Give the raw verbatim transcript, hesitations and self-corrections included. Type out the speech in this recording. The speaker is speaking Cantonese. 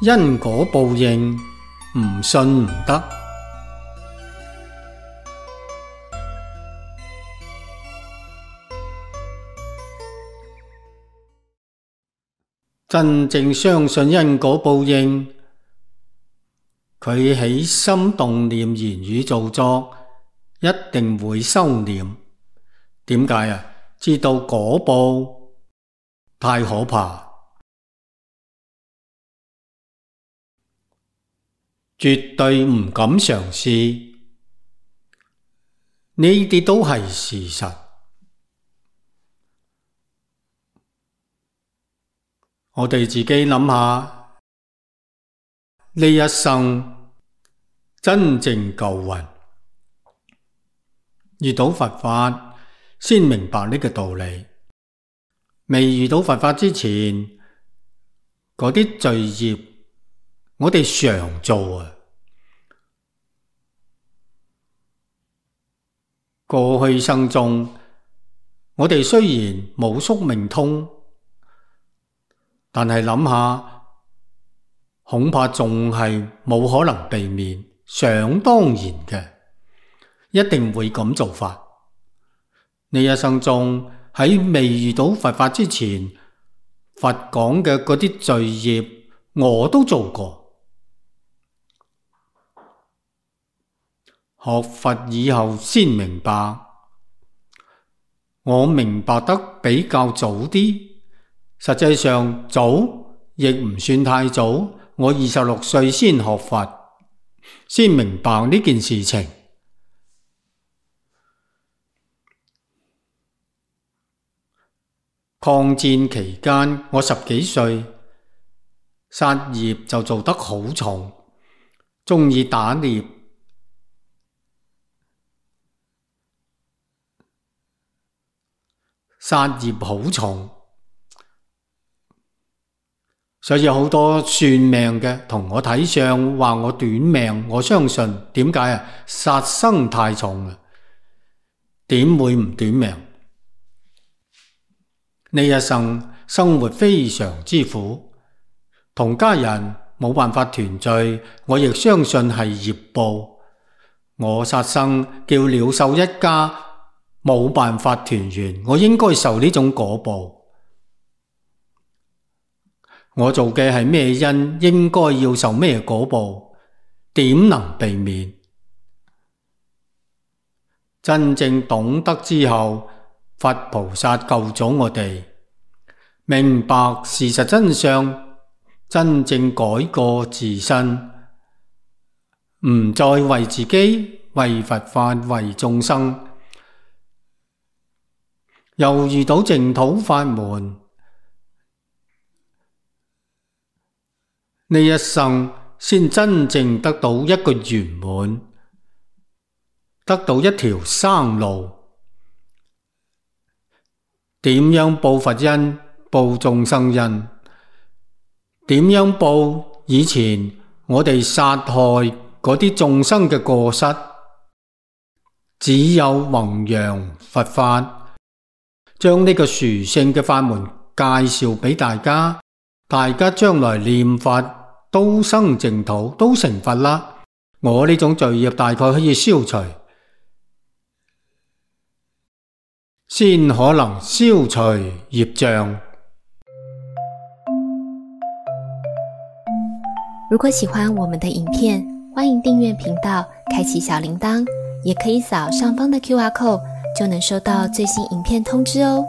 因果報應，唔信唔得。真正相信因果報應，佢起心動念、言語造作，一定會收斂。點解啊？知道果報太可怕，絕對唔敢嘗試。呢啲都係事實。我哋自己諗下，呢一生真正夠運，遇到佛法先明白呢個道理。未遇到佛法之前，嗰啲罪業我哋常做啊。過去生中，我哋雖然冇宿命通，但係諗下，恐怕仲係冇可能避免，想當然嘅，一定會咁做法。呢一生中喺未遇到佛法之前，佛講嘅嗰啲罪業，我都做過。學佛以後先明白，我明白得比較早啲。實際上早亦唔算太早，我二十六歲先學佛，先明白呢件事情。抗戰期間，我十幾歲，殺業就做得好重，鍾意打獵，殺業好重。所以好多算命嘅同我睇相，話我短命，我相信。點解啊？殺生太重啦，點會唔短命？呢一生生活非常之苦，同家人冇辦法團聚，我亦相信係業報。我殺生叫鳥獸一家冇辦法團圓，我應該受呢種果報。我做嘅係咩因，應該要受咩果報，點能避免？真正懂得之後，佛菩薩救咗我哋，明白事實真相，真正改過自身，唔再為自己、為佛法、為眾生。又遇到淨土法門，呢一生先真正得到一個圓滿，得到一條生路。點樣報佛恩，報眾生恩？點樣報以前我哋殺害嗰啲眾生嘅過失？只有弘揚佛法，將呢個殊勝嘅法門介紹俾大家，大家將來念佛都生淨土，都成佛啦。我呢種罪業大概可以消除，先可能消除業障。如果喜歡我們的影片，歡迎訂閱頻道，開啟小鈴鐺，也可以掃上方的 Q R code，就能收到最新影片通知哦。